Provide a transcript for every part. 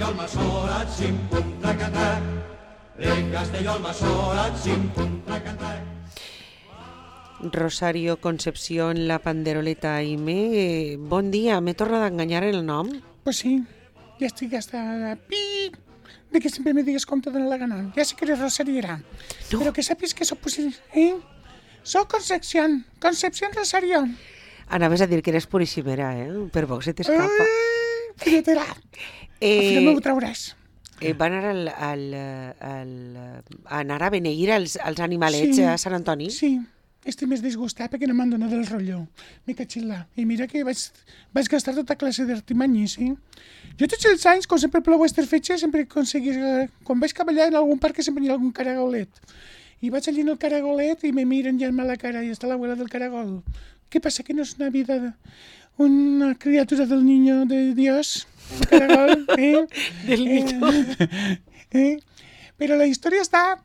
Castelló-Almassora, xim-pum-trac-trac. De Castelló-Almassora, xim-pum-trac-trac. Rosario Concepción, la panderoleta Aime. Bon dia, m'he tornat a enganyar el nom? Pues sí, ya estoy hasta la pi de que siempre me digas com te dona la gana. Ya sé que eres Rosariera, No. pero que sapis que soc Soc Concepción Rosario. Anaves a dir que eres puríssimera, Per poc se t'escapa. Filletera, al final me ho trauràs. Va anar a beneir els animalets a Sant Antoni? Sí, estic més disgustat perquè no m'han donat el rotllo. M'he catxil·lat. I mira que vaig gastar tota classe d'artimanyis, sí? Jo tots els anys, com sempre plou aquestes fetges, sempre aconseguís... Quan vaig cavallar en algun parc sempre hi ha algun caragolet. I vaig allí en el caragolet i me miren ja a la cara i està l'abuela del caragol. ¿Qué pasa? ¿Que no es una vida, una criatura del niño de Dios? El caragol, Del niño. Però la història està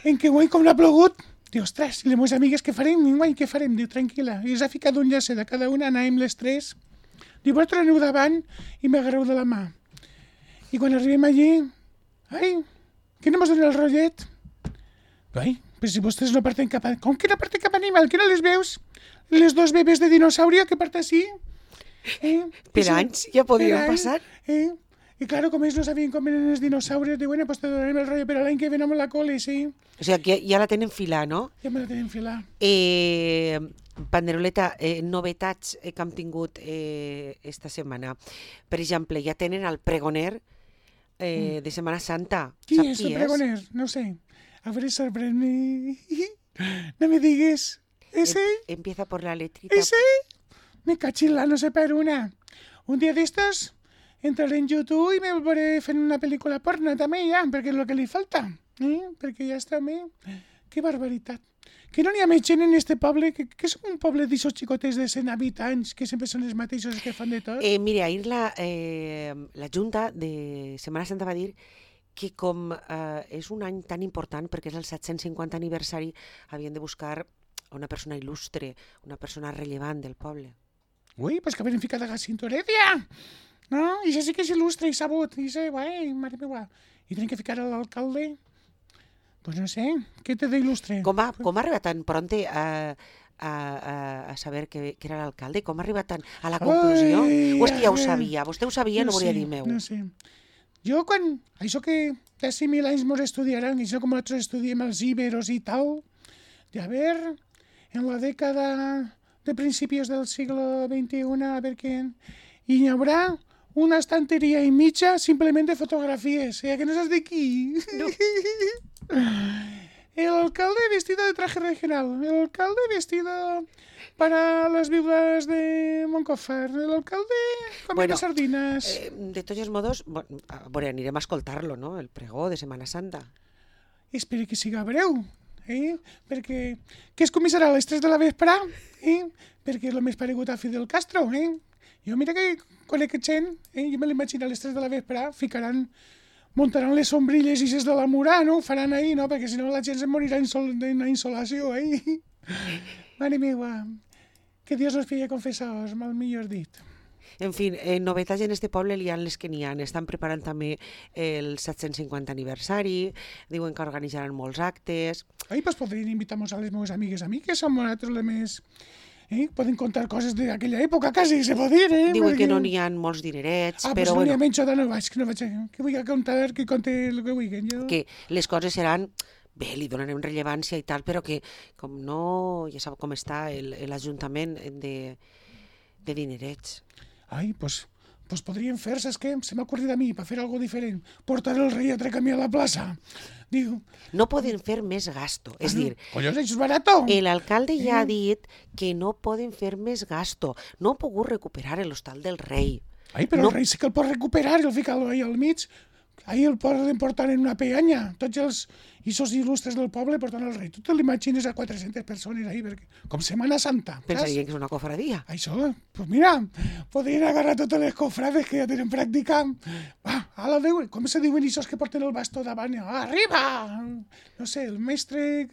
en que guai com no ha plogut. Diu, ostres, i les meves amigues què farem? Guai, què farem? Diu, tranquil·la. I els ha ficat un llacet de cada una, anàvem les tres. Diu, vosaltres aneu davant i m'agarreu de la mà. I quan arribem allí, ai, que no mos dona el rotllet? Ai, però si vostès no parten cap a... Com que no parten cap a animal? Que no les veus? Les dos bebès de dinosaurio que part així? Per anys ja podien passar. I claro, com ells no sabien com eren els dinosaures, diuen, pues te donarem el rotllo, però l'any que ve no me la cole, sí. O sigui, que ja la tenen filar, no? Ja me la tenen filar. Panderoleta, novetats que hem tingut esta setmana. Per exemple, ja tenen el pregoner de Setmana Santa. Qui Sap és el pregoner? No sé. A veure, sorprèn-me. No me digues. ¿Ese? Empieza por la letrita. ¿Ese? Me cachila, no sé per una. Un dia d'estos entraré en YouTube i me volveré fent una pel·lícula porno també ja, perquè és el que li falta. Perquè ja està bé. Que barbaritat. Que no n'hi ha més gent en este poble, que som un poble d'aixòs xicotets de 100 habitants, que sempre són els mateixos que fan de tot. Mira, ahir la Junta de Setmana Santa va dir que com és un any tan important, perquè és el 750 aniversari, havien de buscar una persona il·lustre, una persona rellevant del poble. Ui, pues que havien ficat a Jacinto Heredia. No? I això sí que és il·lustre i sabut. I sé, guai, mare meva. I tenen que ficar a l'alcalde? Pues no sé, què té d'il·lustre? Com ha arribat tan pronte a saber que era l'alcalde? Com ha arribat tan a la conclusió? O és que ja ho sabia? Vostè ho sabia, no volia dir meu. No sé. Jo quan... Això que d'ací 1000 anys mos estudiaran, això com nosaltres estudiem els íberos i tal, de a ver, en la dècada de principios del siglo XXI, a ver quién... Y hi haurà una estantería y mitja simplement de fotografies, que no saps de qui. No. El alcalde vestido de traje regional, el alcalde vestido para las viudas de Moncofar, el alcalde comiendo sardinas. De tots els modos, anirem a escoltar-lo, no?, el pregó de Setmana Santa. Espero que siga breu, perquè que es començarà a les 3 de la vesprà, perquè és el més paregut a Fidel Castro, Jo mira que conec gent, jo me l'imagino a les 3 de la vesprà, muntaran les sombrilles i ses de la Murà, no? Ho faran ahir, no? Perquè si no la gent se morirà d'una insolació, Mare meva, que Dios nos pille confessados, mal millor dit. En fi, novetats en este poble hi ha les que n'hi ha. Estan preparant també el 750 aniversari, diuen que organitzaran molts actes. Ai, pues podrien invitar-nos a les meves amigues a mi, que som nosaltres les més... Poden contar coses d'aquella època, quasi, se pot dir, Diuen que no n'hi ha molts dinerets, però no bueno... n'hi ha menys, no vaig, que vull contar, que conte el que vulguin, jo. Que les coses seran... Bé, li donarem rellevància i tal, però que com no... Ja sap com està l'Ajuntament de dinerets. Ai, pues podríem fer, saps què? Se m'ha ocorrit a mi, per fer alguna diferent. Portar el rei a camí a la plaça. Diu... No poden fer més gasto. És dir... Collons, això és barato. L'alcalde ja ha dit que no poden fer més gasto. No ha pogut recuperar l'hostal del rei. Ai, però el rei sí que el pot recuperar i el ficar-lo ahí al mig. Ahir el poden portar en una peanya. Tots els il·lustres del poble portant el rei. Tu te l'imagines a 400 persones ahí, perquè, com Setmana Santa. Pensarien que és una cofradia. Això, pues mira, podrien agarrar totes les cofrades que ja tenen pràctica. Com se diuen aquests que porten el bastó davant? Arriba! No sé, el mestre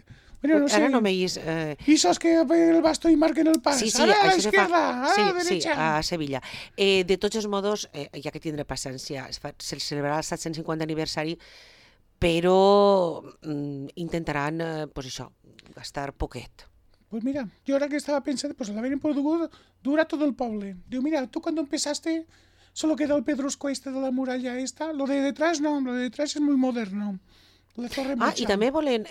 Bueno, no sé. Ara no m'heis... I sos que el bastó i marquen el pas. Sí, Ara a això se fa... l'esquerda, ara a la Sí, derecha. a Sevilla. De tots els modos, hi ha que tindre paciència. Se celebrarà el 750 aniversari, però intentaran, pues això, gastar poquet. Pues mira, yo ahora que estaba pensando, pues la ven por dura todo el poble. Digo, mira, tú cuando empezaste solo queda el pedrusco este de la muralla esta. Lo de detrás no, lo de detrás es muy moderno. La Torre Mocha. I també volen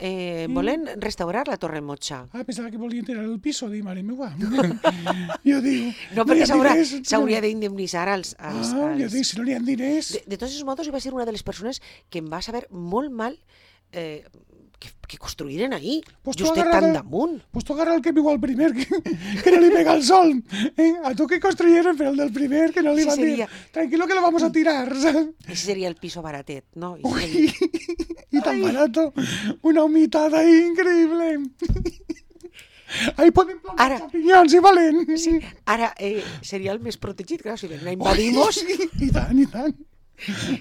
restaurar la Torre Mocha. Pensava que volien tirar el piso, dic, mare meva. Jo dic... No, perquè s'hauria d'indemnitzar als... Jo dic, si no n'hi ha diners... De tots els modos, jo vaig ser una de les persones que em va saber molt mal que construïren ahí, pues justet tan damunt. Pues tu agarra el que viu al primer, que no li pega el sol. A tu que construyeron, pero el del primer, que no li van dir, tranquilo que lo vamos a tirar. Ese sería el piso baratet, ¿no? Y tan barato, una humitada ahí increíble. Ahí poden plantar champinyons, si valen. Sí, ara seria el més protegit, clar, si ven a invadimos... I tant.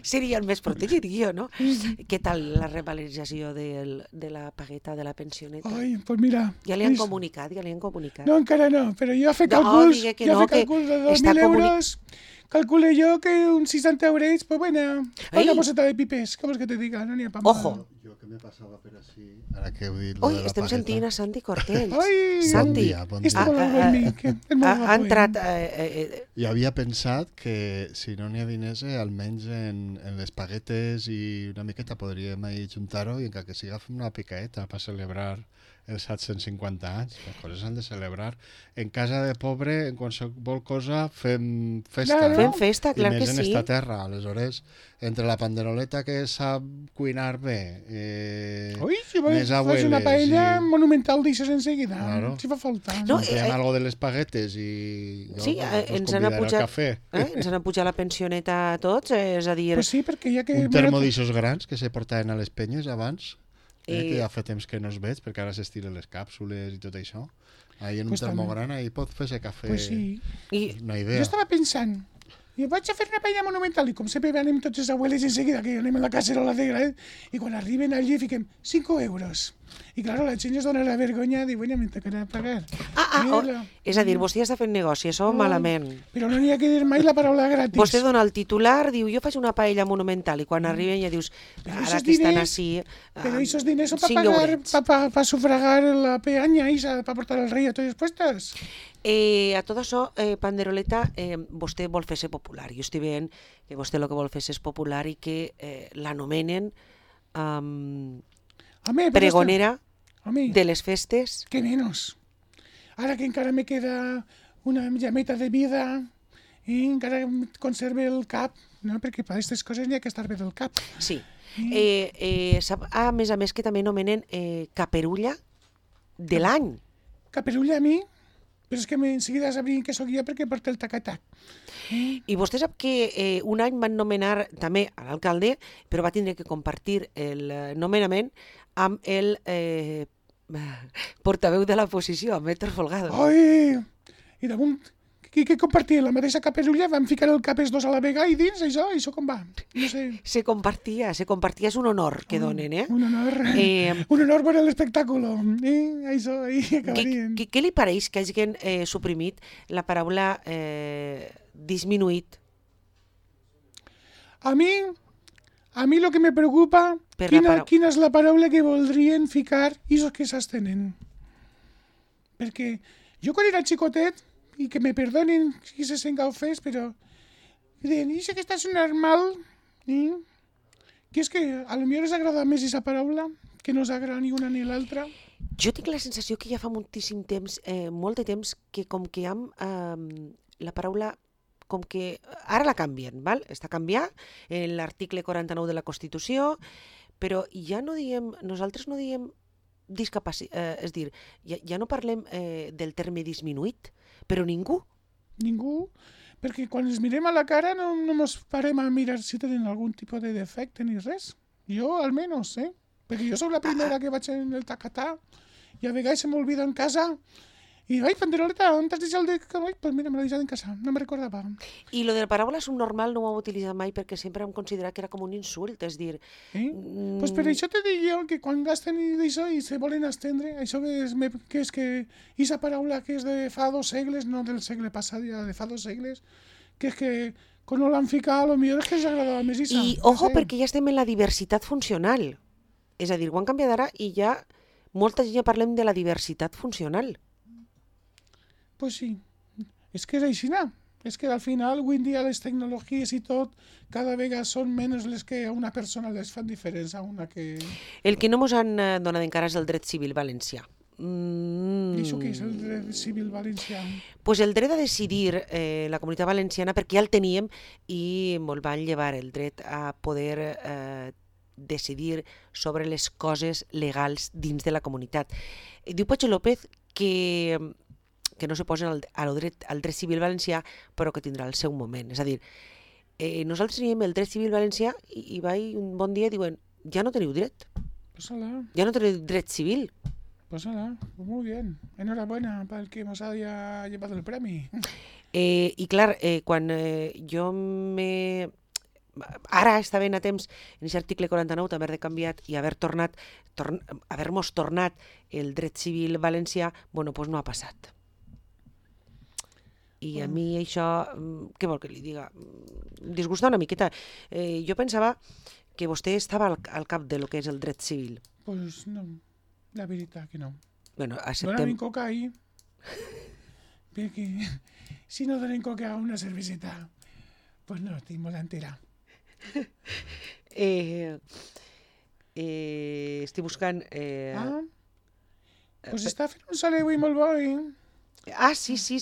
Seria el més protegit, jo, no? Què tal la revalorització de la pagueta de la pensioneta? Ai, pues mira... Ja li han comunicat? No, encara no, però jo he fet càlculs, de 2.000 euros, calculé jo que uns 60 eurets, pues bueno, una boceta de pipes, què vols que te diga? No n'hi ha pa mal. Ojo! Jo que me passava per així, ara que heu dit Ui, estem sentint a Santi Cortells. Ai, Santi, bon dia. ha entrat... Jo havia pensat que si no n'hi ha diners, almenys en les paguetes i una miqueta podríem juntar-ho i encara que siga fem una picaeta per celebrar els 750 anys. Les coses s'han de celebrar. En casa de pobre, en qualsevol cosa, fem festa. Claro. No? Fem festa, clar que I més en sí. esta terra. Aleshores, entre la panderoleta que sap cuinar bé, Ui, si més fas abueles una paella i... monumental d'aixòs enseguida, Claro. si fa falta. No, Fem algo de les paguetes i jo Sí, ens han apujat, ens han apujat la pensioneta a tots, és a dir... Pues sí, perquè ja que... Un termo d'aixòs grans que se portaven a les penyes abans, que ja fa temps que no es veig, perquè ara s'estiren les càpsules i tot això. Ahí en un Pues termo també. gran ahí pot fer-se cafè. Pues sí. Una Jo idea. estava pensant, i vaig a fer una paella monumental i com sempre anem tots els abueles enseguida que anem a la cacerola de gran i quan arriben allí fiquem 5 euros. I claro, la gent es dona la vergonya de, bueno, me tocarà pagar. És a dir, vostè està fent negoci, això malament. Però no n'hi ha que dir mai la paraula gratis. Vostè dona el titular, diu, jo faig una paella monumental, i quan arriben ja dius, ara que estan així... Pero esos diners son para pagar, para sufragar la peaña, para portar al rey a todos los puestos. A tot això, Panderoleta, vostè vol fer-se popular. Jo estic veient que vostè el que vol fer és popular i que l'anomenen pregonera de les festes. Que menos. Ara que encara me queda una llameta de vida i encara conserve el cap, no? Perquè per aquestes coses n'hi ha que estar bé del cap. Sí. Sap, a més que també anomenen caperulla de l'any. Caperulla a mi? Però és que enseguida sabrien que sóc jo perquè porta el tac-a-tac. I vostè sap que un any van nomenar també a l'alcalde, però va tindre que compartir el nomenament amb el portaveu de l'oposició, amb Héctor Folgado. Ai! I damunt, que compartien la mateixa caperulla, van ficar el cap els dos a la vegada i dins, això com va? No sé. Se compartia, és un honor que donen, eh? Un honor per l'espectacle. Això, ahí acabarien. Què li pareix que hagin suprimit la paraula disminuït? A mi lo que me preocupa, quina és la paraula que voldrien ficar i els que s'estenen. Perquè jo quan era xicotet, i que me perdonen si se sent gaufers, però deien, i que estàs normal, que és que a lo millor us agrada més aquesta paraula que no us agrada ni una ni l'altra. Jo tinc la sensació que ja fa moltíssim temps, molt de temps, que com que amb la paraula com que ara la canvien, val? Està canviat en l'article 49 de la Constitució, però ja no diem, nosaltres no diem discapacitat, és dir, ja no parlem del terme disminuït, però ningú. Ningú, perquè quan ens mirem a la cara no ens parem a mirar si tenen algun tipus de defecte ni res. Jo, almenys, perquè jo sóc la primera que vaig en el tacatà i a vegades se m'olvida en casa I, ai, panderoleta, on t'has deixat el de... Ai, pues mira, me l'he deixat en casa, no me recordava. I lo de la paraula subnormal no ho hem utilitzat mai perquè sempre hem considerat que era com un insult, és dir... Pues per això te dic jo que quan gasten i d'això i se volen estendre, això que és que aquesta paraula que és de fa 2 segles, no del segle passat, ja de fa 2 segles, que és que quan no l'han ficat, potser és que s'agradava més Isa. I, ojo, perquè ja estem en la diversitat funcional. És a dir, ho han canviat ara i ja molta gent ja parlem de la diversitat funcional. Pues sí, és que és així, no? És que al final, avui en dia, les tecnologies i tot, cada vegada són menys les que a una persona les fan diferents a una que... El que no mos han donat encara és el dret civil valencià. I això què és el dret civil valencià? Pues el dret a decidir la comunitat valenciana, perquè ja el teníem i ens van llevar el dret a poder decidir sobre les coses legals dins de la comunitat. Diu Patxo López que no se posen al dret civil valencià, però que tindrà el seu moment. És a dir, nosaltres teníem el dret civil valencià i vaig un bon dia i diuen, ja no teniu dret. Pues ala. Ja no teniu dret civil. Pues ala, pues muy bien. Enhorabuena para el que nos haya llevado el premi. I clar, quan jo ara estaven a temps en aquest article 49 d'haver de canviat i haver-nos tornat el dret civil valencià, bueno, doncs no ha passat. I a mi això, què vol que li diga? Em disgusta una miqueta. Jo pensava que vostè estava al cap de lo que és el dret civil. Pues no, la veritat que no. Bueno, Dóna'm coca ahí. Perquè si no donen coca a una cerveseta, pues no, estic molt entera. Estic buscant... Pues està fent un sol avui molt bo, Ah, sí. Jo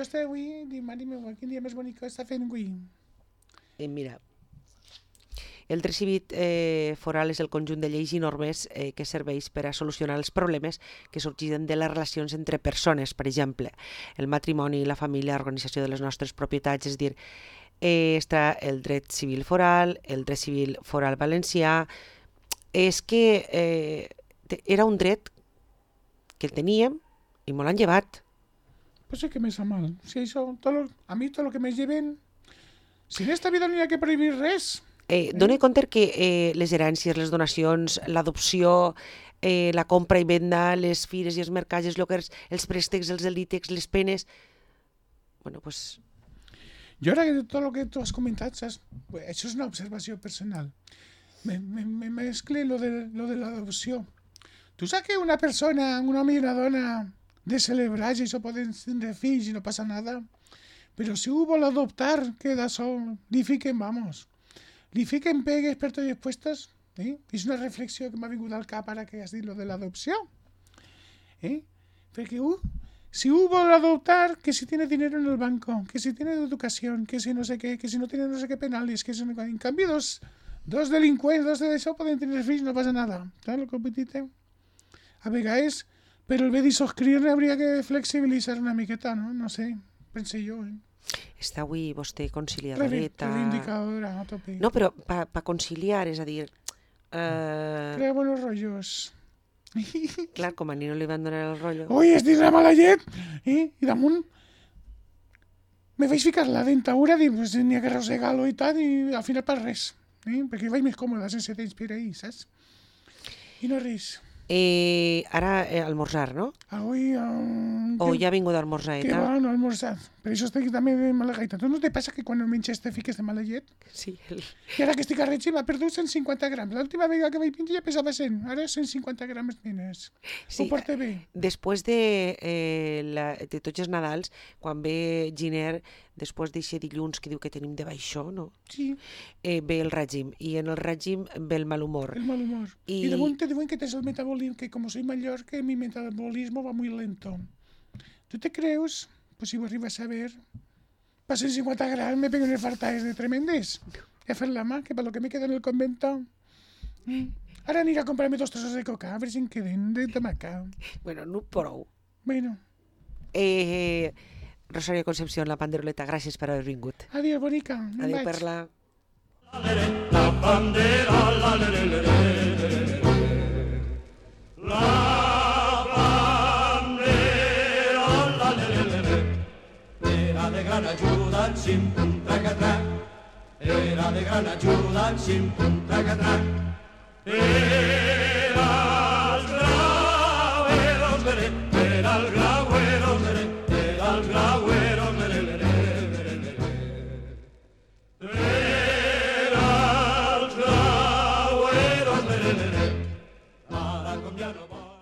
estic avui, dic, mare meva, quin dia més bonic està fent avui. Mira, el dret civil foral és el conjunt de lleis i normes que serveix per a solucionar els problemes que sorgeixen de les relacions entre persones, per exemple, el matrimoni, la família, l'organització de les nostres propietats, és dir, està el dret civil foral, el dret civil foral valencià. És que era un dret que el teníem i me l'han llevat. Pues es que me sa mal. Si això, a mi tot el que me lleven... Si en esta vida no hi ha que prohibir res. Dóna compte que les herències, les donacions, l'adopció, la compra i venda, les fires i els mercats, els lloguers, els préstecs, els delítecs, les penes... Bueno, pues... Jo ara que tot el que tu has comentat, saps? Això és una observació personal. Me mescle lo de l'adopció. Tu saps que una persona, un home i una dona, de celebrar i això poden tindre fills i no passa nada? Però si ho vol adoptar, que d'això li fiquen, vamos, li fiquen pegues per tots els puestos. És una reflexió que m'ha vingut al cap ara que has dit lo de l'adopció. Perquè si ho vol adoptar, que si tiene dinero en el banco, que si tiene educación, que si no sé qué, que si no tiene no sé qué penales, que si no... En canvi, dos delinqüents, dos d'això poden tenir fills, no passa nada. Saps el que vull dir? A vegades, però el bé de soscriure hauria que flexibilitzar una miqueta, no? No sé, pense jo, Està avui vostè conciliadoreta... Reivindicadora, a tope. No, però pa conciliar, és a dir... Crea buenos rollos. Clar, com a ni no li van donar el rotllo... Ui, estic la mala llet! I damunt me vaig ficar la dentadura, dic, pues n'hi ha que arrossegar-lo i tal, i al final per res. Perquè vaig més còmoda sense temps per ahir, saps? I no res. Ara almorzar, no? Avui... O ja ha vingut a almorzar, Que va, no almorzar. Per això estic també de mala gaita. Tu no te passa que quan menges te fiques de mala llet? Sí. I ara que estic a règim m'ha perdut 150 grams. L'última vegada que vaig menjar ja pesava 100. Ara 150 grams menys. Sí, Ho porta bé. Després de tots els Nadals, quan ve Giner, després d'eixe dilluns que diu que tenim de baixó, no? Sí, Ve el règim. I en el règim ve el mal humor. el mal humor. Y- Y de momento te digo que tienes el metabolismo, que como soy mayor, que mi metabolismo va muy lento. ¿Tú te crees? Pues si vos arribas a ver, pasen 50 gramos, me pego en el fartaes de tremendes. Y a hacer la más, que para lo que me queda en el convento. Ahora aniré a comprarme 2 trozos de coca, a ver si en queden de tomaca. Bueno, no prou. Bueno, Rosario Concepción, la panderoleta, gràcies per haver vingut. adiós, bonica. me'n Adéu, vaig. Perla. La bandera, la le le le le. La bandera, xim-pum, traca-trac. Era de gran ajuda el xim-pum, traca-trac. Era el graueros, lere, era el graueros, lere, era el graueros, lere, lere, lere, lere. Era el graueros, lere, lere. Ara com ja no vol